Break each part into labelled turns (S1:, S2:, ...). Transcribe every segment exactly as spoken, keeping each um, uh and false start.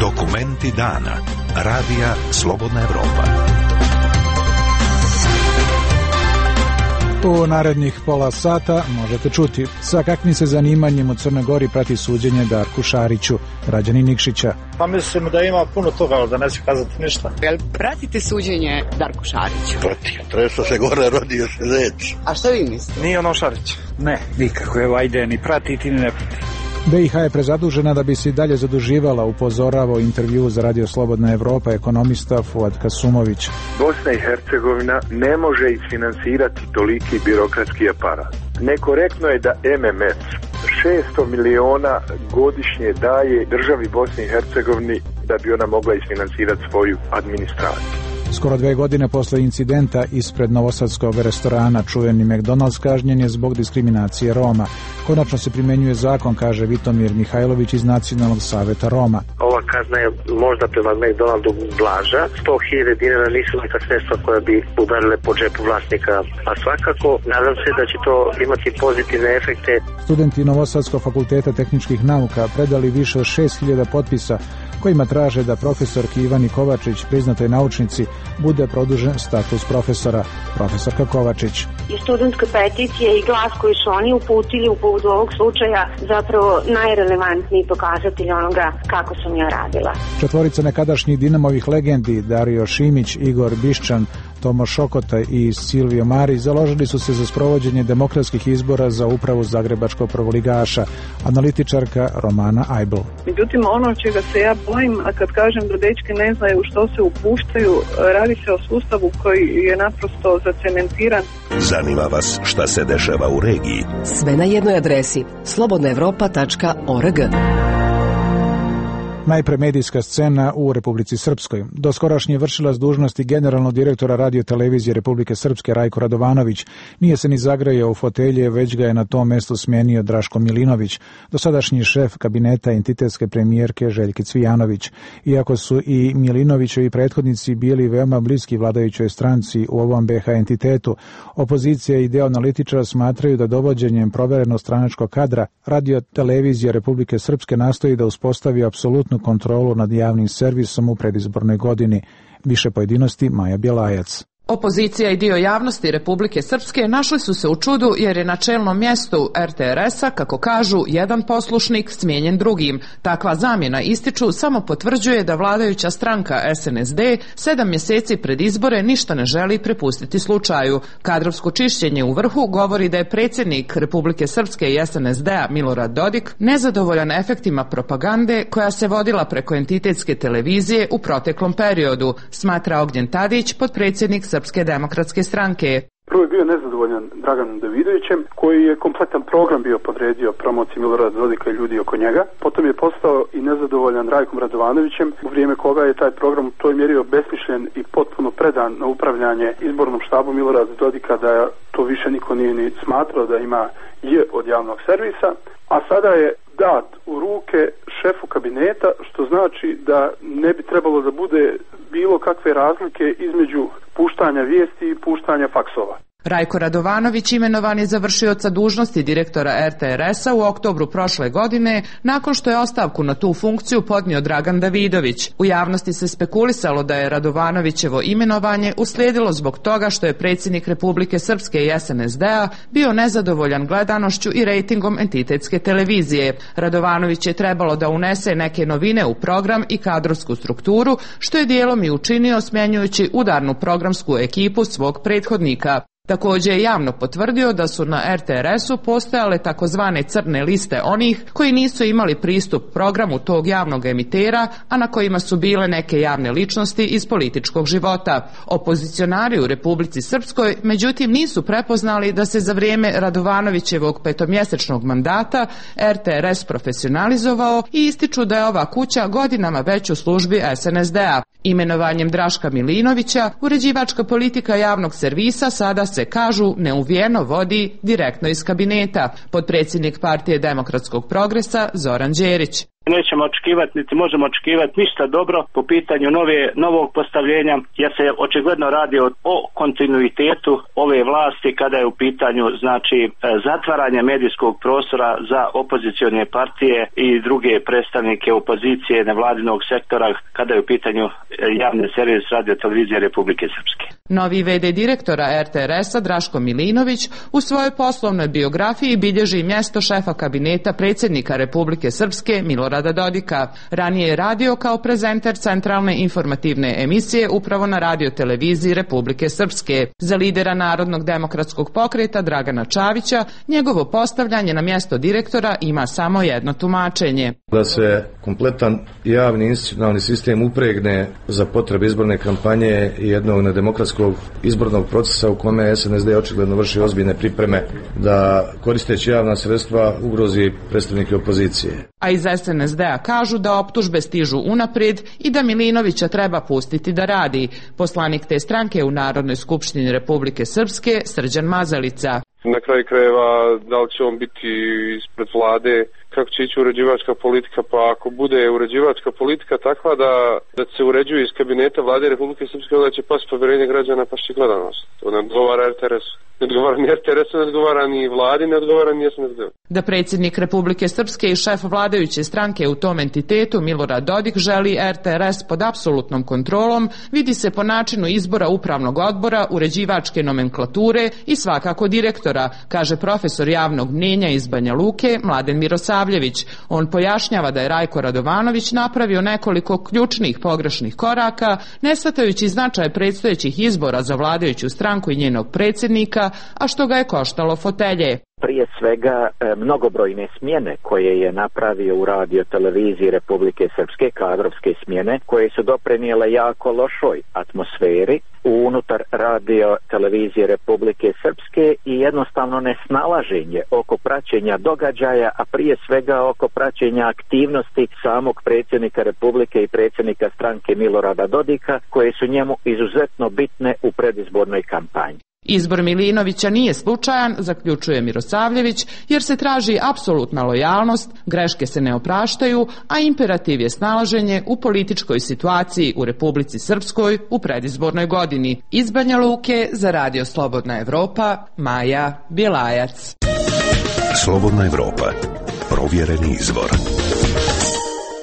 S1: Dokumenti dana. Radija Slobodna Evropa.
S2: U narednih pola sata možete čuti sa kakvim se zanimanjem u Crnoj Gori prati suđenje Darku Šariću, građanin Nikšića.
S3: Pa mislim da ima puno toga, ali da neću kazati ništa.
S4: Jel pratite suđenje Darku Šariću?
S5: Pratim, treso se gore, rodio se zec.
S4: A što vi mislite?
S3: Nije ono Šarić. Ne, nikako, evo ajde, ni pratiti, ni ne pratiti.
S2: B i H je prezadužena da bi se i dalje zaduživala, upozoravao intervju za Radio Slobodna Evropa ekonomista Fuad Kasumović.
S6: Bosna i Hercegovina ne može isfinansirati toliki birokratski aparat. Nekorektno je da M M F šesto miliona godišnje daje državi Bosni i Hercegovini da bi ona mogla isfinansirati svoju administraciju.
S2: Skoro dve godine posle incidenta ispred novosadskog restorana čuveni McDonald's kažnjen je zbog diskriminacije Roma. Konačno se primenjuje zakon, kaže Vitomir Mihajlović iz Nacionalnog saveta Roma.
S7: Ova kazna je možda prema McDonaldu blaža. sto hiljada dinara nisu neka sredstva koja bi udarile po džepu vlasnika. A svakako, nadam se da će to imati pozitivne efekte.
S2: Studenti Novosadskog fakulteta tehničkih nauka predali više od šest hiljada potpisa kojima traže da profesorki Ivani Kovačić, priznatoj naučnici, bude produžen status profesora. Profesorka Kovačić.
S8: I studentska peticija i glas koji su oni uputili u povodu ovog slučaja zapravo najrelevantniji pokazatelj onoga kako sam ja radila.
S2: Četvorica nekadašnjih Dinamovih legendi, Dario Šimić, Igor Biščan, Tomo Šokota i Silvio Marić, založili su se za sprovođenje demokratskih izbora za upravu zagrebačkog prvoligaša, analitičarka Romana Ajbl.
S9: Međutim, ono čega se ja bojim, a kad kažem da dečki ne znaju što se upuštaju, radi se o sustavu koji je naprosto zacementiran.
S1: Zanima vas šta se dešava u regiji?
S10: Sve na jednoj adresi slobodna evropa tačka org.
S2: Najpre medijska scena u Republici Srpskoj. Doskorašnji vršilac dužnosti generalnog direktora Radio televizije Republike Srpske Rajko Radovanović nije se ni zagrejao u fotelje, već ga je na tom mestu smenio Draško Milinović, dosadašnji šef kabineta entitetske premijerke Željke Cvijanović. Iako su i Milinovićevi prethodnici bili veoma bliski vladajućoj stranci u ovom B H entitetu, opozicija i deo analitičara smatraju da dovođenjem proverenog stranačkog kadra Radio televizija Republike Srpske nastoji da uspostavi apsolutnu kontrolu nad javnim servisom u predizbornoj godini. Više pojedinosti Maja Bjelajac.
S11: Opozicija i dio javnosti Republike Srpske našli su se u čudu jer je na čelnom mjestu R T R S-a, kako kažu, jedan poslušnik smijenjen drugim. Takva zamjena, ističu, samo potvrđuje da vladajuća stranka S N S D sedam mjeseci pred izbore ništa ne želi prepustiti slučaju. Kadrovsko čišćenje u vrhu govori da je predsjednik Republike Srpske i S N S D-a Milorad Dodik nezadovoljan efektima propagande koja se vodila preko entitetske televizije u proteklom periodu, smatra Ognjen Tadić, potpredsjednik Srpske demokratske stranke.
S12: Prvo je bio nezadovoljan Draganom Davidovićem, koji je kompletan program bio podredio promociji Milorada Dodika i ljudi oko njega. Potom je postao i nezadovoljan Rajkom Radovanovićem, u vrijeme koga je taj program u toj mjeri obesmišljen i potpuno predan na upravljanje izbornom štabu Milorada Dodika, da to više niko nije ni smatrao da ima je od javnog servisa, a sada je dat u ruke šefu kabineta, što znači da ne bi trebalo da bude bilo kakve razlike između puštanja vijesti i puštanja faksova.
S11: Rajko Radovanović imenovan je za vršioca dužnosti direktora R T R S-a u oktobru prošle godine, nakon što je ostavku na tu funkciju podnio Dragan Davidović. U javnosti se spekulisalo da je Radovanovićevo imenovanje uslijedilo zbog toga što je predsjednik Republike Srpske i S N S D-a bio nezadovoljan gledanošću i rejtingom entitetske televizije. Radovanović je trebalo da unese neke novine u program i kadrovsku strukturu, što je dijelom i učinio smjenjujući udarnu programsku ekipu svog prethodnika. Također je javno potvrdio da su na R T R S-u postojale takozvane crne liste onih koji nisu imali pristup programu tog javnog emitera, a na kojima su bile neke javne ličnosti iz političkog života. Opozicionari u Republici Srpskoj, međutim, nisu prepoznali da se za vrijeme Radovanovićevog petomjesečnog mandata R T R S profesionalizovao i ističu da je ova kuća godinama već u službi S N S D-a. Imenovanjem Draška Milinovića, uređivačka politika javnog servisa sada se, kažu, neuvijeno vodi direktno iz kabineta. Potpredsjednik Partije demokratskog progresa Zoran Đerić.
S13: nećemo očekivati niti možemo očekivati ništa dobro po pitanju nove, novog postavljenja, jer se očigledno radi o, o kontinuitetu ove vlasti kada je u pitanju znači zatvaranje medijskog prostora za opozicione partije i druge predstavnike opozicije nevladinog sektora kada je u pitanju javni servis Radio televizije Republike Srpske.
S11: Novi ve de direktora er te er esa Draško Milinović u svojoj poslovnoj biografiji bilježi mjesto šefa kabineta predsjednika Republike Srpske Milorada Dodika. Ranije je radio kao prezenter centralne informativne emisije upravo na Radio televiziji Republike Srpske. Za lidera Narodnog demokratskog pokreta Dragana Čavića njegovo postavljanje na mjesto direktora ima samo jedno tumačenje.
S14: Da se kompletan javni institucionalni sistem upregne za potrebe izborne kampanje i jednog nedemokratskog izbornog procesa u kome es en es de očigledno vrši ozbiljne pripreme da koristeći javna sredstva ugrozi predstavnike opozicije.
S11: A iz es en es de-a kažu da optužbe stižu unaprijed i da Milinovića treba pustiti da radi. Poslanik te stranke u Narodnoj skupštini Republike Srpske Srđan Mazalica.
S15: Na kraju krajeva, da li će on biti ispred vlade, kako će ići uređivačka politika, pa ako bude uređivačka politika takva da, da se uređuje iz kabineta vlade Republike Srpske, onda će pasti povjerenje građana, pa će gledanost. To ne odgovara er te er esu. Ne odgovara ni er te er esu, ne odgovara ni vladi, ne odgovara ni es en es de.
S11: Da predsjednik Republike Srpske i šef vladajuće stranke u tom entitetu Milorad Dodik želi er te er es pod apsolutnom kontrolom, vidi se po načinu izbora upravnog odbora, uređivačke nomenklature i svakako direktora, kaže profesor javnog mnjenja iz Banja Luke Mladen Mirosavljević. On pojašnjava da je Rajko Radovanović napravio nekoliko ključnih pogrešnih koraka, ne shvatajući značaj predstojećih izbora za vladajuću stranku i njenog predsjednika, a što ga je koštalo fotelje.
S16: Prije svega mnogobrojne smjene koje je napravio u Radio televiziji Republike Srpske, kadrovske smjene, koje su doprinijele jako lošoj atmosferi unutar Radio televizije Republike Srpske i jednostavno nesnalaženje oko praćenja događaja, a prije svega oko praćenja aktivnosti samog predsjednika Republike i predsjednika stranke Milorada Dodika, koje su njemu izuzetno bitne u predizbornoj kampanji.
S11: Izbor Milinovića nije slučajan, zaključuje Mirosavljević, jer se traži apsolutna lojalnost, greške se ne opraštaju, a imperativ je snalaženje u političkoj situaciji u Republici Srpskoj u predizbornoj godini. Iz Banja Luke za Radio Slobodna Evropa, Maja Bjelajac.
S1: Slobodna Evropa, provjereni izvor.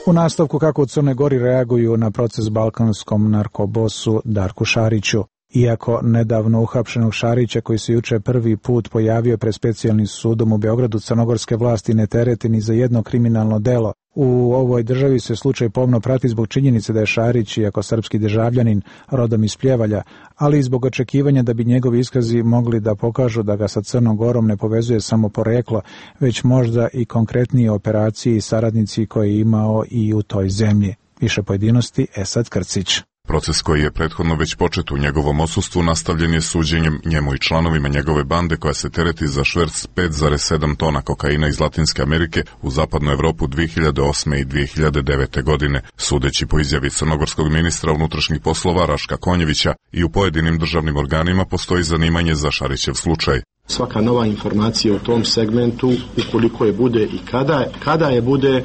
S2: U nastavku kako u Crnoj Gori reaguju na proces balkanskom narkobosu Darku Šariću. Iako nedavno uhapšenog Šarića, koji se juče prvi put pojavio pred specijalnim sudom u Beogradu, crnogorske vlasti ne terete ni za jedno kriminalno delo. U ovoj državi se slučaj pomno prati zbog činjenice da je Šarić, iako srpski državljanin, rodom iz Pljevalja, ali i zbog očekivanja da bi njegovi iskazi mogli da pokažu da ga sa Crnom Gorom ne povezuje samo poreklo, već možda i konkretnije operacije i saradnici koje je imao i u toj zemlji. Više pojedinosti Esad Krcić.
S17: Proces koji je prethodno već počet u njegovom odsustvu nastavljen je suđenjem njemu i članovima njegove bande koja se tereti za šverc pet zarez sedam tona kokaina iz Latinske Amerike u zapadnu Evropu dvije hiljade osme i dvije hiljade devete. godine. Sudeći po izjavi crnogorskog ministra unutrašnjih poslova Raška Konjevića, i u pojedinim državnim organima postoji zanimanje za Šarićev slučaj.
S18: Svaka nova informacija u tom segmentu, ukoliko je bude i kada, kada je bude,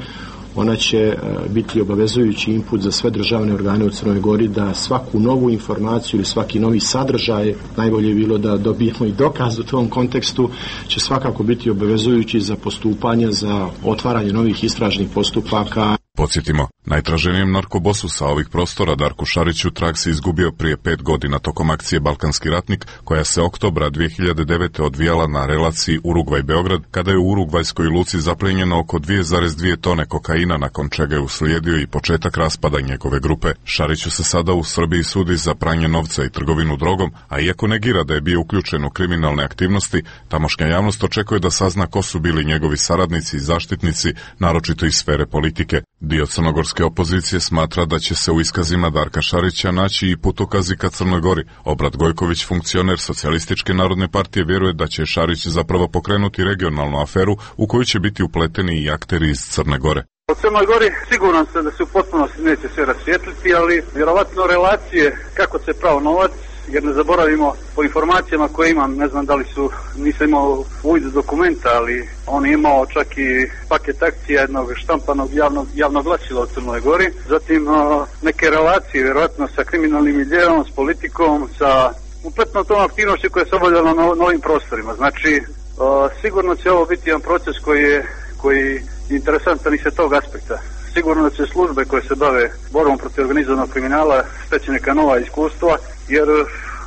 S18: ona će biti obavezujući input za sve državne organe u Crnoj Gori da svaku novu informaciju ili svaki novi sadržaj, najbolje je bilo da dobijemo i dokaz u tom kontekstu, će svakako biti obavezujući za postupanje, za otvaranje novih istražnih postupaka.
S17: Podsjetimo, najtraženijem narkobosu sa ovih prostora Darku Šariću trag se izgubio prije pet godina tokom akcije Balkanski ratnik, koja se oktobra dvije hiljade devete. odvijala na relaciji Urugvaj-Beograd, kada je u urugvajskoj luci zaplenjeno oko dvije zarez dvije tone kokaina, nakon čega je uslijedio i početak raspada njegove grupe. Šariću se sada u Srbiji sudi za pranje novca i trgovinu drogom, a iako negira da je bio uključen u kriminalne aktivnosti, tamošnja javnost očekuje da sazna ko su bili njegovi saradnici i zaštitnici, naročito iz sfere politike. Dio crnogorske opozicije smatra da će se u iskazima Darka Šarića naći i putokazi ka Crnoj Gori. Obrat Gojković, funkcioner Socijalističke narodne partije, vjeruje da će Šarić zapravo pokrenuti regionalnu aferu u koju će biti upleteni i akteri iz Crne Gore.
S19: U Crnoj Gori siguran sam da se u potpunosti neće sve rasvijetliti, ali vjerovatno relacije kako se pravo novac jer ne zaboravimo po informacijama koje imam, ne znam da li su, nisam imao uvid dokumenta, ali on je imao čak i paket akcija jednog štampanog javnog, javnog glasila u Crnoj Gori, zatim uh, neke relacije vjerojatno sa kriminalnim miljeom, s politikom, sa kompletno tom aktivnošću koja se obavljala na novim prostorima. Znači, uh, sigurno će ovo biti jedan proces koji je, koji je interesantan i sa tog aspekta. Sigurno će službe koje se bave borbom protiv organizovanog kriminala steći neka nova iskustva, jer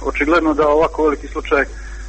S19: očigledno da ovako veliki slučaj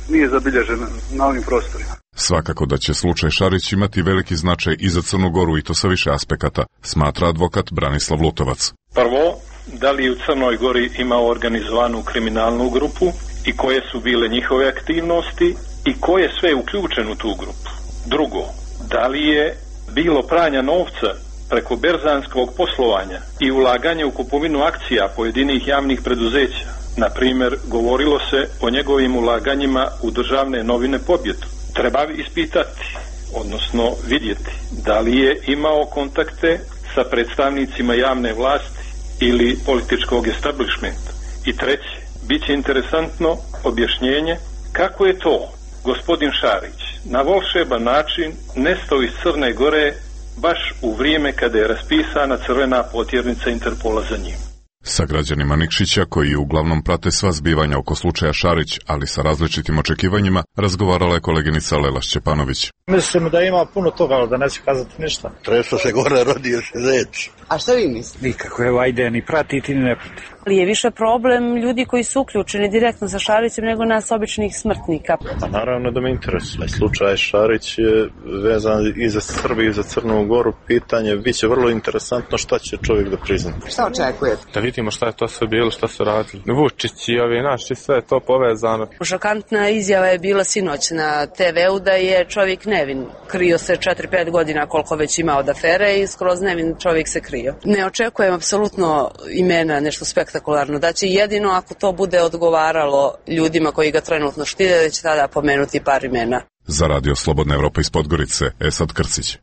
S19: nije zabilježen na ovim prostorima.
S17: Svakako da će slučaj Šarić imati veliki značaj i za Crnu Goru i to sa više aspekata, smatra advokat Branislav Lutovac.
S20: Prvo, da li u Crnoj Gori ima organizovanu kriminalnu grupu i koje su bile njihove aktivnosti i ko je sve uključen u tu grupu. Drugo, da li je bilo pranja novca preko berzanskog poslovanja i ulaganja u kupovinu akcija pojedinih javnih preduzeća. Na primjer, govorilo se o njegovim ulaganjima u državne novine Pobjedu. Treba ispitati, odnosno vidjeti, da li je imao kontakte sa predstavnicima javne vlasti ili političkog establishmenta. I treće, bit će interesantno objašnjenje kako je to gospodin Šarić na volšeban način nestao iz Crne Gore baš u vrijeme kada je raspisana crvena potjernica Interpola za njim.
S17: Sa građanima Nikšića, koji uglavnom prate sva zbivanja oko slučaja Šarić, ali sa različitim očekivanjima, razgovarala je koleginica Lela Šćepanović.
S3: Mislim da ima puno toga, ali da neće kazati ništa.
S5: Treso se gore rodio se zec.
S4: A šta vi mislite?
S3: Nikako, evo ajde, ni pratiti, ni ne pratiti.
S21: Ali je više problem ljudi koji su uključeni direktno sa Šarićem nego nas običnih smrtnika.
S22: Pa naravno da me interesuje. Slučaj Šarić je vezan i za Srbiju i za Crnu Goru. Pitanje biće vrlo interesantno šta će čovjek da prizna.
S4: Šta očekujete?
S22: Da vidimo šta je to sve bilo, šta su radili. Vučić i ovi naši, sve je to povezano.
S21: Šokantna izjava je bila sinoć na te veu da je čovjek nevin. Krio se četiri pet godina koliko već ima od afere i skroz nevin čovjek se krio. Ne očekujem apsolutno imena, nešto spektakularno. Da će jedino ako to bude odgovaralo ljudima koji ga trenutno štite, da će tada pomenuti par imena.
S17: Za Radio Slobodna Evropa iz Podgorice, Esad Krcić.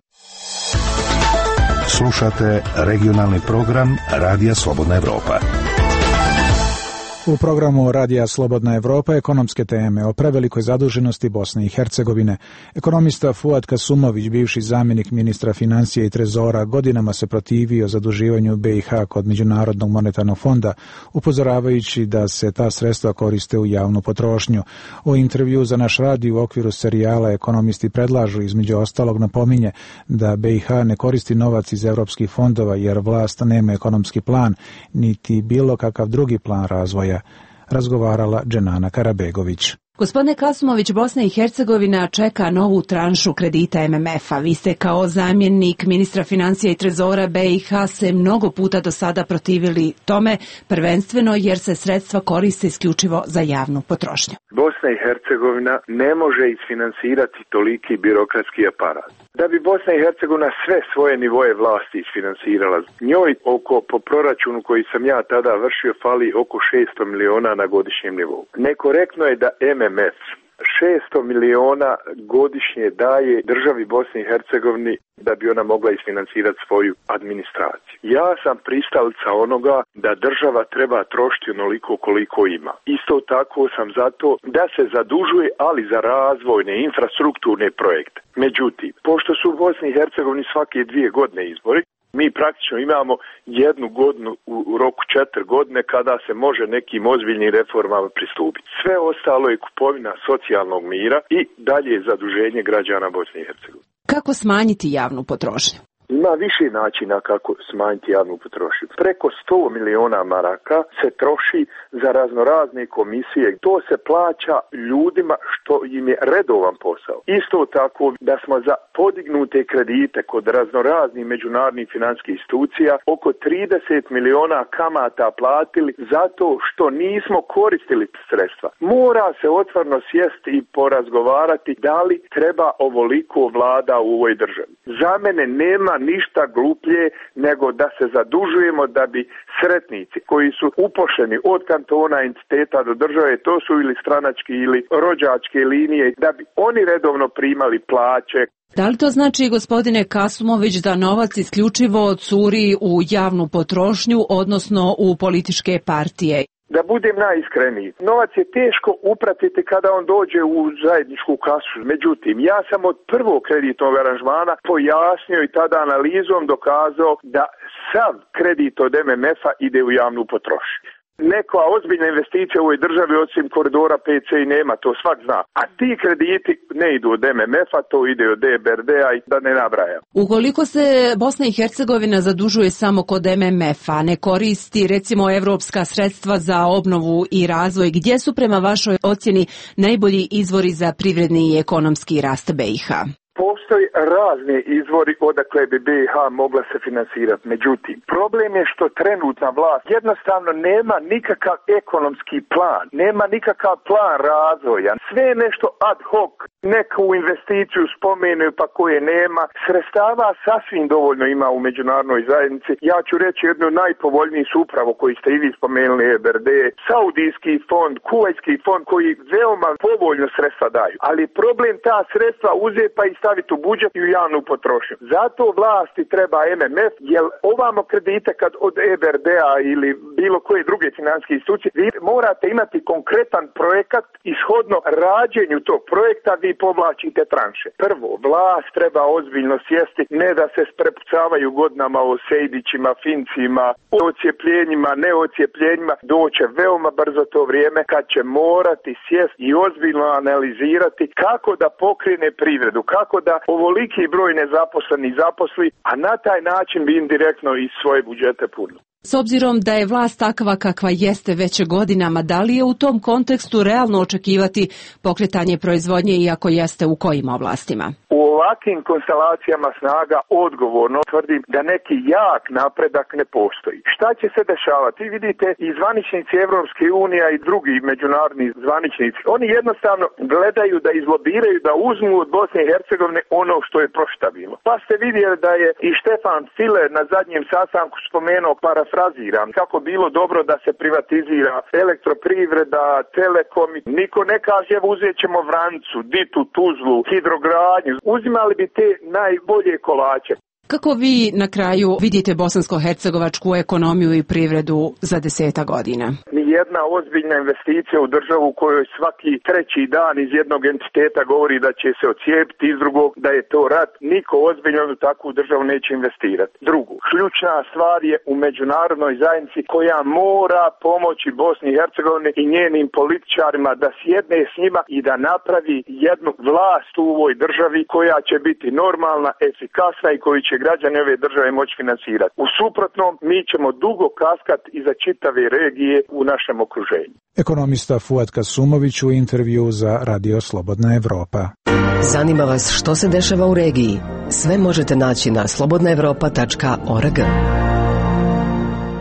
S1: Slušate regionalni program Radija Slobodna Evropa.
S2: U programu Radija Slobodna Evropa ekonomske teme o prevelikoj zaduženosti Bosne i Hercegovine. Ekonomista Fuad Kasumović, bivši zamjenik ministra financija i trezora, godinama se protivio zaduživanju B i H kod Međunarodnog monetarnog fonda, upozoravajući da se ta sredstva koriste u javnu potrošnju. U intervju za naš radio u okviru serijala ekonomisti predlažu, između ostalog napominje da B i H ne koristi novac iz evropskih fondova jer vlast nema ekonomski plan, niti bilo kakav drugi plan razvoja, razgovarala Dženana Karabegović.
S23: Gospodine Kasumović, Bosna i Hercegovina čeka novu tranšu kredita M M F-a. Vi ste kao zamjenik ministra financija i trezora B i H se mnogo puta do sada protivili tome, prvenstveno jer se sredstva koriste isključivo za javnu potrošnju.
S6: Bosna i Hercegovina ne može isfinansirati toliki birokratski aparat. Da bi Bosna i Hercegovina sve svoje nivoje vlasti isfinansirala, njoj oko, po proračunu koji sam ja tada vršio, fali oko šesto miliona na godišnjem nivou. Nekorektno je da M M F šesto miliona godišnje daje državi Bosni i Hercegovini da bi ona mogla isfinansirati svoju administraciju. Ja sam pristalica onoga da država treba trošiti onoliko koliko ima. Isto tako sam zato da se zadužuje, ali za razvojne infrastrukturne projekte. Međutim, pošto su u Bosni i Hercegovini svake dvije godine izbori, mi praktično imamo jednu godinu u roku četiri godine kada se može nekim ozbiljnim reformama pristupiti. Sve ostalo je kupovina socijalnog mira i dalje zaduženje građana Bosne i Hercegovine.
S23: Kako smanjiti javnu potrošnju?
S6: Ima više načina kako smanjiti javnu potrošnju. Preko sto miliona maraka se troši za raznorazne komisije. To se plaća ljudima što im je redovan posao. Isto tako da smo za podignute kredite kod raznoraznih međunarodnih financijskih institucija oko trideset miliona kamata platili zato što nismo koristili sredstva. Mora se otvoreno sjesti i porazgovarati da li treba ovoliko vlada u ovoj državi. Za mene nema ništa gluplje nego da se zadužujemo da bi sretnici koji su upošljeni od kantona, entiteta do države, to su ili stranački ili rođačke linije, da bi oni redovno primali plaće.
S23: Da li to znači, gospodine Kasumović, da novac isključivo curi u javnu potrošnju, odnosno u političke partije?
S6: Da budem najiskreniji, novac je teško upratiti kada on dođe u zajedničku kasu. Međutim, ja sam od prvog kreditnog aranžmana pojasnio i tada analizom dokazao da sav kredit od M M F-a ide u javnu potrošnju. Neka ozbiljna investicija u ovoj državi osim koridora P C i nema, to svak zna. A ti krediti ne idu od M M F-a, to ide od E B R D-a i da ne nabrajam.
S23: Ukoliko se Bosna i Hercegovina zadužuje samo kod M M F-a, ne koristi recimo evropska sredstva za obnovu i razvoj, gdje su prema vašoj ocjeni najbolji izvori za privredni i ekonomski rast B i H?
S6: Postoji razni izvori odakle bi B i H mogla se finansirati. Međutim, problem je što trenutna vlast jednostavno nema nikakav ekonomski plan, nema nikakav plan razvoja. Sve je nešto ad hoc, neku investiciju spomenu pa koje nema. Sredstava sasvim dovoljno ima u međunarodnoj zajednici. Ja ću reći jednu najpovoljniji su upravo koji ste i vi spomenuli, E B R D, Saudijski fond, Kuvajski fond koji veoma povoljno sredstva daju. Ali problem ta sredstva uzeti pa i staviti u budžet i u javnu potrošnju. Zato vlasti treba M M F, jer ovamo kredite kad od E B R D-a ili bilo koje druge financijske institucije, vi morate imati konkretan projekat ishodno rađenju tog projekta, vi povlačite tranše. Prvo, vlast treba ozbiljno sjesti, ne da se sprepucavaju godinama o Sejdićima, Fincima, o ocijepljenjima, neocijepljenjima, doće veoma brzo to vrijeme kad će morati sjesti i ozbiljno analizirati kako da pokrene privredu, kako da ovoliki broj nezaposlenih zaposli, a na taj način bi indirektno iz svoje budžete punili.
S23: S obzirom da je vlast takva kakva jeste već godinama, da li je u tom kontekstu realno očekivati pokretanje proizvodnje i ako jeste u kojim oblastima?
S6: U ovakvim konstelacijama snaga odgovorno tvrdim da neki jak napredak ne postoji. Šta će se dešavati? Vi vidite i zvaničnici Evropske unije i drugi međunarodni zvaničnici, oni jednostavno gledaju da izlobiraju, da uzmu od Bosne i Hercegovine ono što je proštabilo. Pa ste vidjeli da je i Štefan File na zadnjem sastanku spomenuo, parafraziram, kako bilo dobro da se privatizira elektroprivreda, telekom. Niko ne kaže evo uzet ćemo Vrancu, Ditu, Tuzlu, hidrogradnju. Uzimali bi te najbolje kolače.
S23: Kako vi na kraju vidite bosansko-hercegovačku ekonomiju i privredu za deseta godina?
S6: Nijedna ozbiljna investicija u državu u kojoj svaki treći dan iz jednog entiteta govori da će se ocijepiti, iz drugog da je to rat, niko ozbiljno u takvu državu neće investirati. Drugo, ključna stvar je u međunarodnoj zajednici koja mora pomoći Bosni i Hercegovini i njenim političarima da sjedne s njima i da napravi jednu vlast u ovoj državi koja će biti normalna, efikasna i koju će građani ove države moći finansirati. U suprotnom, mi ćemo dugo kaskat iza čitave regije u našem okruženju.
S2: Ekonomista Fuad Kasumović u intervju za Radio Slobodna Evropa.
S10: Zanima vas što se dešava u regiji? Sve možete naći na slobodna evropa tačka org.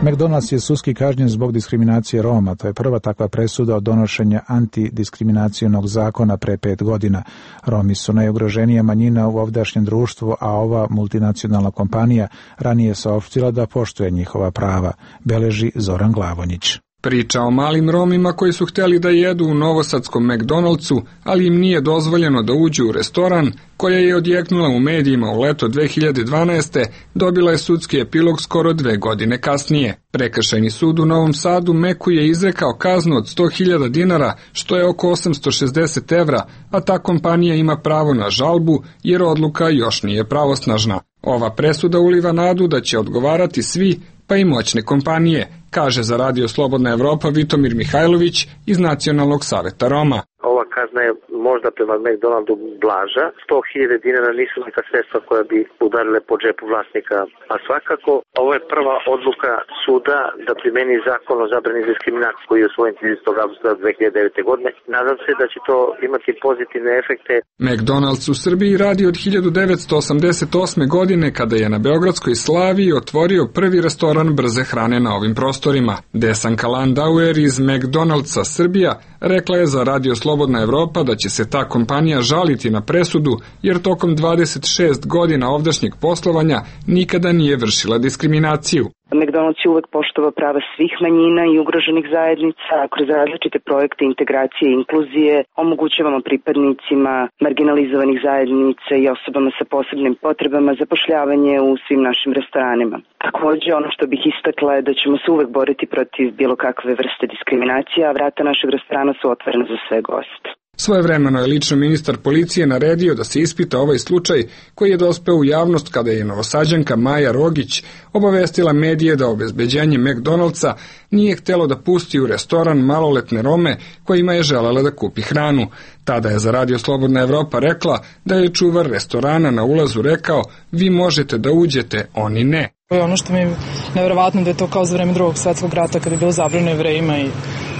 S2: McDonald's je sudski kažnjen zbog diskriminacije Roma. To je prva takva presuda od donošenja antidiskriminacionog zakona pre pet godina. Romi su najugroženija manjina u ovdašnjem društvu, a ova multinacionalna kompanija ranije saopštila da poštuje njihova prava, beleži Zoran Glavonjić.
S7: Priča o malim Romima koji su htjeli da jedu u novosadskom McDonald'su, ali im nije dozvoljeno da uđu u restoran, koja je odjeknula u medijima u leto dve hiljade dvanaeste, dobila je sudski epilog skoro dve godine kasnije. Prekršajni sud u Novom Sadu Meku je izrekao kaznu od sto hiljada dinara, što je oko osamsto šezdeset evra, a ta kompanija ima pravo na žalbu jer odluka još nije pravosnažna. Ova presuda uliva nadu da će odgovarati svi, pa i moćne kompanije, kaže za Radio Slobodna Evropa Vitomir Mihajlović iz Nacionalnog saveta Roma.
S8: Ova kazna je možda prema McDonaldu blaža. sto hiljada dinara nisu neka sredstva koja bi udarile po džepu vlasnika. A svakako, ovo je prva odluka suda da primeni zakon o zabrani diskriminacije koji je usvojen tridesetog avgusta dve hiljade devete. godine. Nadam se da će to imati pozitivne efekte.
S7: McDonald's u Srbiji radi od hiljadu devetsto osamdeset osme. godine kada je na Beogradskoj Slaviji otvorio prvi restoran brze hrane na ovim prostorima. Desanka Landauer iz McDonald'sa Srbija rekla je za Radio Slobodna Evropa da će se ta kompanija žaliti na presudu jer tokom dvadeset šest godina ovdašnjeg poslovanja nikada nije vršila diskriminaciju.
S9: McDonald's je uvek poštovao prava svih manjina i ugroženih zajednica, a kroz različite projekte integracije i inkluzije omogućavamo pripadnicima marginalizovanih zajednica i osobama sa posebnim potrebama zapošljavanje u svim našim restoranima. Takođe, ono što bih istakla je da ćemo se uvek boriti protiv bilo kakve vrste diskriminacije, a vrata našeg restorana su otvorena za sve goste.
S7: Svojevremeno je lično ministar policije naredio da se ispita ovaj slučaj koji je dospeo u javnost kada je Novosađanka Maja Rogić obavestila medije da obezbeđenje McDonald'sa nije htelo da pusti u restoran maloletne Rome kojima je želela da kupi hranu. Tada je za Radio Slobodna Evropa rekla da je čuvar restorana na ulazu rekao: vi možete da uđete, oni ne.
S12: Ono što mi je nevjerovatno da je to kao za vreme drugog svetskog rata kada je bilo zabranjeno Jevrejima i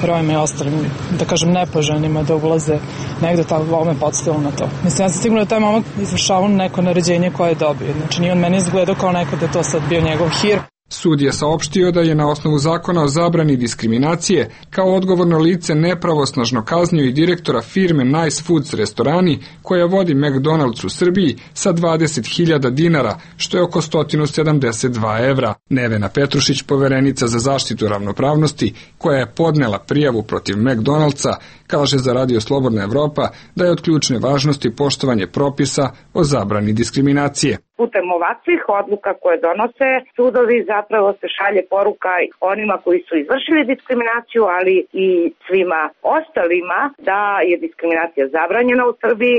S12: Romima i ostalim, da kažem, nepoželjnima da ulaze negde, tako ovo me podstavilo na to. Mislim, ja sam sigurno da taj momak izvršavao neko naređenje koje je dobio. Znači, nije on meni izgledao kao neko da je to sad bio njegov hir.
S7: Sud je saopštio da je na osnovu zakona o zabrani diskriminacije kao odgovorno lice nepravosnažno kaznio i direktora firme Nice Foods restorani koja vodi McDonald's u Srbiji sa dvadeset hiljada dinara, što je oko sto sedamdeset dva evra. Nevena Petrušić, poverenica za zaštitu ravnopravnosti, koja je podnela prijavu protiv McDonald'sa, kaže za Radio Slobodna Evropa da je od ključne važnosti poštovanje propisa o zabrani diskriminacije.
S13: Putem ovakvih odluka koje donose sudovi zapravo se šalje poruka onima koji su izvršili diskriminaciju, ali i svima ostalima da je diskriminacija zabranjena u Srbiji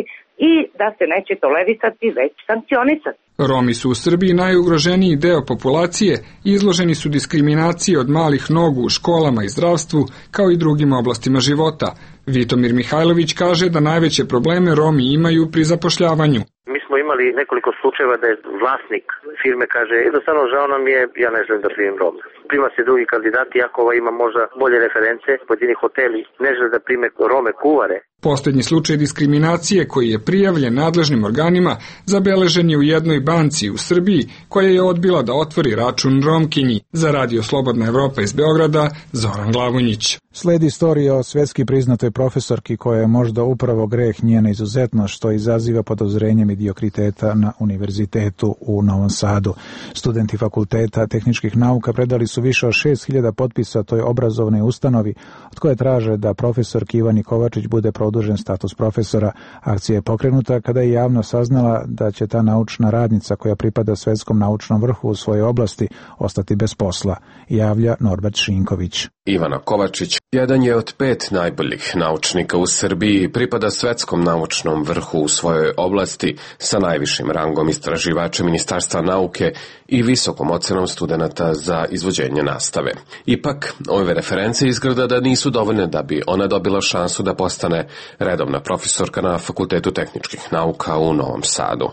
S13: i da se neće tolerisati, već sankcionisati.
S7: Romi su u Srbiji najugroženiji deo populacije i izloženi su diskriminaciji od malih nogu u školama i zdravstvu, kao i drugim oblastima života. Vitomir Mihajlović kaže da najveće probleme Romi imaju pri zapošljavanju.
S8: Mi smo imali nekoliko slučajeva da je vlasnik firme kaže: jednostavno žao nam je, ja ne želim da primim Rome. Prima se drugi kandidati, iako ova ima možda bolje reference, pojedini hoteli ne žele da prime Rome kuvare.
S7: Posljednji slučaj diskriminacije koji je prijavljen nadležnim organima zabeležen je u jednoj banci u Srbiji koja je odbila da otvori račun Romkinji. Za Radio Slobodna Evropa iz Beograda, Zoran Glavonjić.
S2: Sledi istorija o svjetski priznatoj profesorki koja je možda upravo greh njena izuzetnost što izaziva podozrenje mediokriteta na univerzitetu u Novom Sadu. Studenti fakulteta tehničkih nauka predali su više od šest hiljada potpisa toj obrazovnoj ustanovi od koje traže da profesorki Ivani Kovačić bude produžen status profesora. Akcija je pokrenuta kada je javno saznala da će ta naučna radnica koja pripada svetskom naučnom vrhu u svojoj oblasti ostati bez posla, javlja Norbert Šinković.
S24: Ivana Kovačić jedan je od pet najboljih naučnika u Srbiji, pripada svetskom naučnom vrhu u svojoj oblasti sa najvišim rangom istraživača Ministarstva nauke i visokom ocenom studenata za izvođenje nastave. Ipak, ove reference izgleda da nisu dovoljne da bi ona dobila šansu da postane redovna profesorka na Fakultetu tehničkih nauka u Novom Sadu.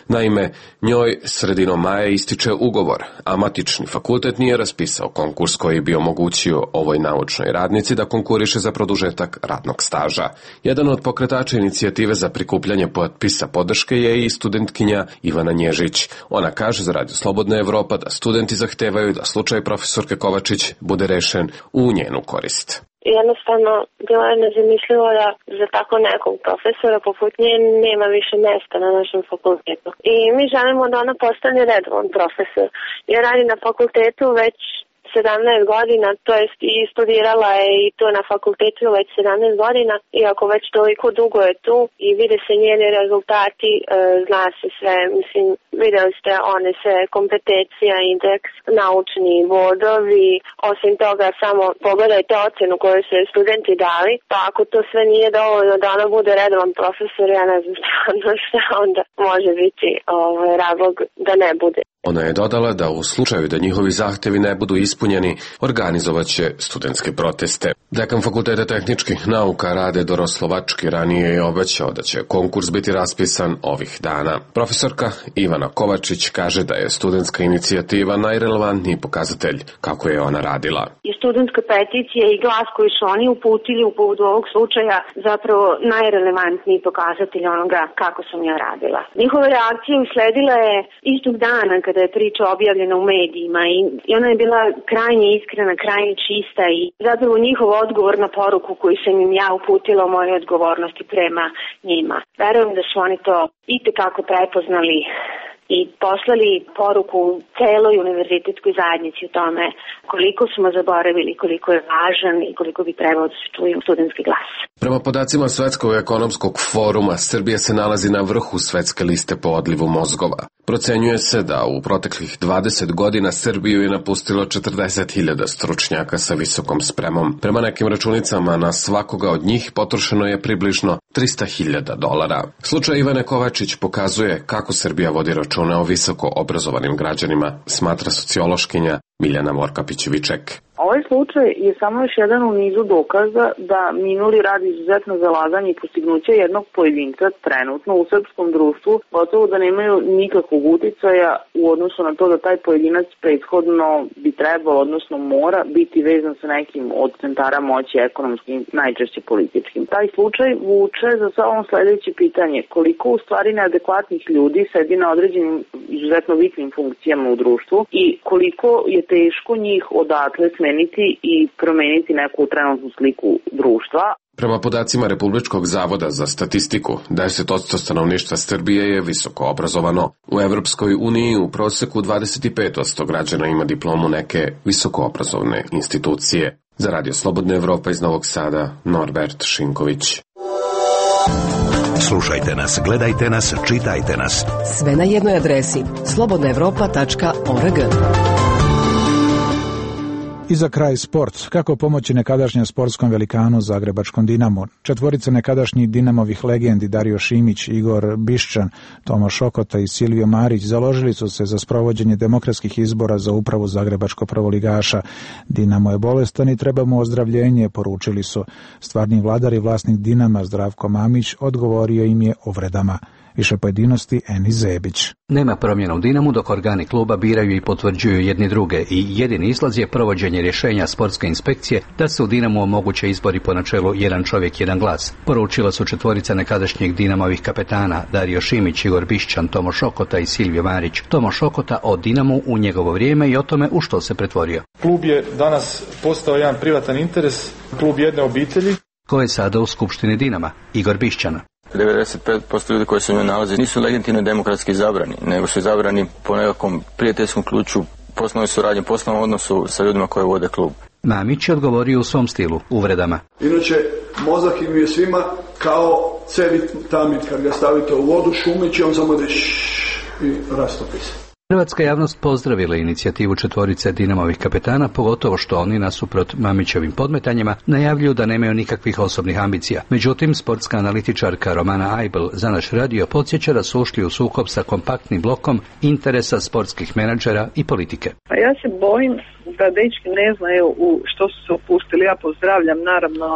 S24: Naime, njoj sredinom maja ističe ugovor, a matični fakultet nije raspisao konkurs koji bi omogućio ovoj naučnoj radnici da konkuriše za produžetak radnog staža. Jedan od pokretača inicijative za prikupljanje potpisa podrške je i studentkinja Ivana Nježić. Ona kaže za Radio Slobodna Evropa da studenti zahtevaju da slučaj profesorke Kovačić bude rešen u njenu korist.
S25: Jednostavno, bilo je nezamislivo da za tako nekog profesora poput nje nema više mesta na našem fakultetu. I mi želimo da ona postane redovan profesor. Jer radi na fakultetu već sedamnaest godina, to jest i studirala je i to na fakultetu već sedamnaest godina, iako već toliko dugo je tu i vide se njeni rezultati, e, zna se sve, mislim, videli ste one sve kompetencija, indeks, naučni bodovi, osim toga samo pogledajte ocenu koju su studenti dali, pa ako to sve nije dovoljno da ona bude redovan profesor, ja ne znam stvarno šta onda može biti ovaj, razlog da ne bude.
S24: Ona je dodala da u slučaju da njihovi zahtevi ne budu ispunjeni, organizovat će studentske proteste. Dekan Fakulteta tehničkih nauka Rade Doroslovački ranije je obećao da će konkurs biti raspisan ovih dana. Profesorka Ivana Kovačić kaže da je studentska inicijativa najrelevantniji pokazatelj kako je ona radila.
S13: I studentska peticija i glas koji su oni uputili u povodu ovog slučaja zapravo najrelevantniji pokazatelj onoga kako sam ja radila. Njihova reakcija usledila je istog dana kada je priča objavljena u medijima i, i ona je bila krajnje iskrena, krajnje čista i zapravo njihov odgovor na poruku koju sam im ja uputila o moje odgovornosti prema njima. Verujem da su oni to itekako prepoznali i poslali poruku celoj univerzitetskoj zajednici o tome koliko smo zaboravili, koliko je važan i koliko bi trebao da se čuje studentski glas.
S24: Prema podacima Svetskog ekonomskog foruma, Srbija se nalazi na vrhu svetske liste po odlivu mozgova. Procenjuje se da u proteklih dvadeset godina Srbiju je napustilo četrdeset hiljada stručnjaka sa visokom spremom. Prema nekim računicama na svakoga od njih potrošeno je približno trista hiljada dolara. Slučaj Ivane Kovačić pokazuje kako Srbija vodi računa o visoko obrazovanim građanima, smatra sociološkinja Miljana Vorkapić-Viček.
S11: Ovaj slučaj je samo još jedan u nizu dokaza da minuli rad izuzetno zalaganje i postignuće jednog pojedinca trenutno u srpskom društvu gotovo da nemaju nikakvog uticaja u odnosu na to da taj pojedinac prethodno bi trebalo, odnosno mora biti vezan sa nekim od centara moći ekonomskim, najčešće političkim. Taj slučaj vuče za sobom sledeće pitanje: koliko u stvari neadekvatnih ljudi sedi na određenim izuzetno bitnim funkcijama u društvu i koliko je teško njih odatle smeniti i promeniti neku trenutnu sliku društva.
S24: Prema podacima Republičkog zavoda za statistiku, deset posto stanovništva Srbije je visoko obrazovano. U Evropskoj uniji u proseku dvadeset pet posto građana ima diplomu neke visokoobrazovne institucije. Za Radio Slobodna Evropa iz Novog Sada, Norbert Šinković.
S1: Slušajte nas, gledajte nas, čitajte nas.
S10: Sve na jednoj adresi slobodna evropa tačka org.
S2: I za kraj sport. Kako pomoći nekadašnjem sportskom velikanu Zagrebačkom Dinamu? Četvorica nekadašnjih Dinamovih legendi Dario Šimić, Igor Bišćan, Tomo Šokota i Silvio Marić založili su se za sprovođenje demokratskih izbora za upravu zagrebačkog prvoligaša. Dinamo je bolestan i treba mu ozdravljenje, poručili su. Stvarni vladar i vlasnik Dinama Zdravko Mamić odgovorio im je uvredama. Više pojedinosti Eni Zebić.
S14: Nema promjena u Dinamu dok organi kluba biraju i potvrđuju jedni druge i jedini izlaz je provođenje rješenja sportske inspekcije da se u Dinamu omoguće izbori po načelu jedan čovjek, jedan glas. Poručila su četvorica nekadašnjih Dinamovih kapetana Dario Šimić, Igor Bišćan, Tomo Šokota i Silvio Marić. Tomo Šokota o Dinamu u njegovo vrijeme i o tome u što se pretvorio.
S15: Klub je danas postao jedan privatan interes, klub jedne obitelji.
S14: Ko je sada u skupštini Dinama? Igor Bišćan.
S16: devedeset pet posto ljudi koji se u njoj nalaze nisu legitimno demokratski izabrani, nego su izabrani po nekakvom prijateljskom ključu, poslovnoj suradnji, poslovnom odnosu sa ljudima koji vode klub.
S14: Mamić je odgovorio u svom stilu, uvredama.
S18: Inače, mozak im je svima kao cevit tamit, kad ga stavite u vodu, šumići, on samo da i rastopi se.
S14: Hrvatska javnost pozdravila inicijativu četvorice Dinamovih kapetana, pogotovo što oni nasuprot Mamićevim podmetanjima najavljuju da nemaju nikakvih osobnih ambicija. Međutim, sportska analitičarka Romana Ajbel za naš radio podsjeća da su ušli u sukob sa kompaktnim blokom interesa sportskih menadžera i politike.
S11: A ja se bojim da dečki ne znaju u što su se upustili. Ja pozdravljam naravno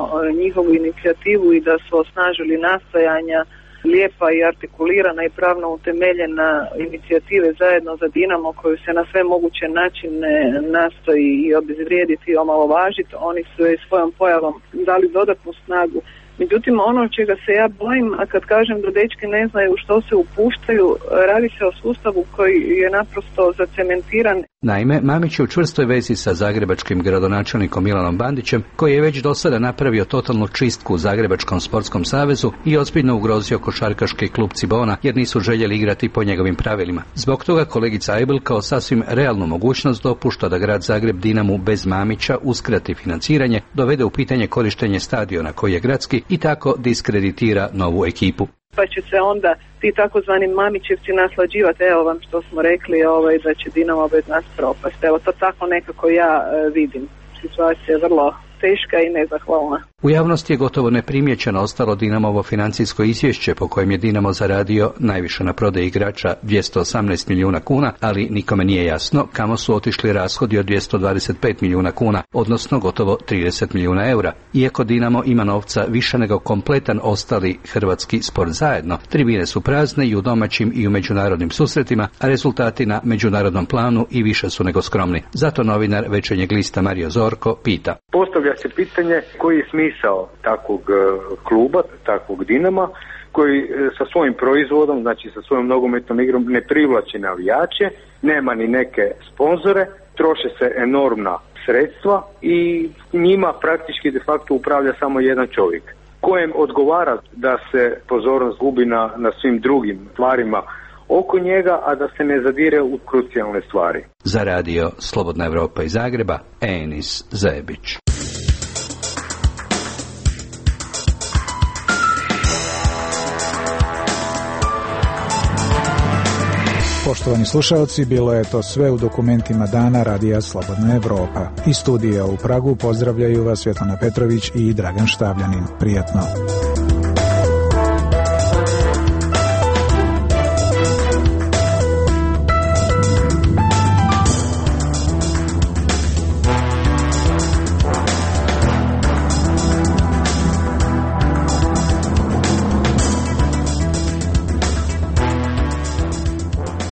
S11: njihovu inicijativu i da su osnažili nastojanja lijepa i artikulirana i pravno utemeljena inicijative zajedno za Dinamo koju se na sve moguće načine nastoji i obezvrijediti i omalovažiti. Oni su je svojom pojavom dali dodatnu snagu. Međutim, ono čega se ja bojim, a kad kažem da dečki ne znaju što se upuštaju, radi se o sustavu koji je naprosto zacementiran.
S14: Naime, Mamić je u čvrstoj vezi sa zagrebačkim gradonačelnikom Milanom Bandićem, koji je već do sada napravio totalnu čistku u Zagrebačkom sportskom savezu i ozbiljno ugrozio košarkaški klub Cibona, jer nisu željeli igrati po njegovim pravilima. Zbog toga kolegica Ajbel kao sasvim realnu mogućnost dopušta da grad Zagreb Dinamu bez Mamića uskrati financiranje, dovede u pitanje korištenje stadiona koji je gradski i tako diskreditira novu ekipu.
S11: Pa će se onda ti takozvani Mamićevci naslađivati, evo vam što smo rekli, ovaj, da će Dinamo bez nas propast. Evo to tako nekako ja e, vidim. Situacija je vrlo teška i nezahvalna.
S14: U javnosti je gotovo neprimjećeno ostalo Dinamovo financijsko izvješće po kojem je Dinamo zaradio najviše na prodaji igrača dvjesto osamnaest milijuna kuna, ali nikome nije jasno kamo su otišli rashodi od dvjesto dvadeset pet milijuna kuna, odnosno gotovo trideset milijuna eura. Iako Dinamo ima novca više nego kompletan ostali hrvatski sport zajedno, tribine su prazne i u domaćim i u međunarodnim susretima, a rezultati na međunarodnom planu i više su nego skromni. Zato novinar Večernjeg lista Mario Zorko pita.
S6: Postavlja se pitanje koji je smisao takvog kluba, takvog Dinama, koji sa svojim proizvodom, znači sa svojom nogometnom igrom ne privlači navijače, nema ni neke sponzore, troše se enormna sredstva i njima praktički de facto upravlja samo jedan čovjek, kojem odgovara da se pozornost gubi na, na svim drugim stvarima
S3: oko njega, a da se ne zadire u krucijalne stvari.
S14: Za radio Slobodna Evropa iz Zagreba, Enis Zebić.
S2: Poštovani slušalci, bilo je to sve u dokumentima dana Radija Slobodna Evropa. Iz studija u Pragu pozdravljaju vas Svetlana Petrović i Dragan Štavljanin. Prijatno.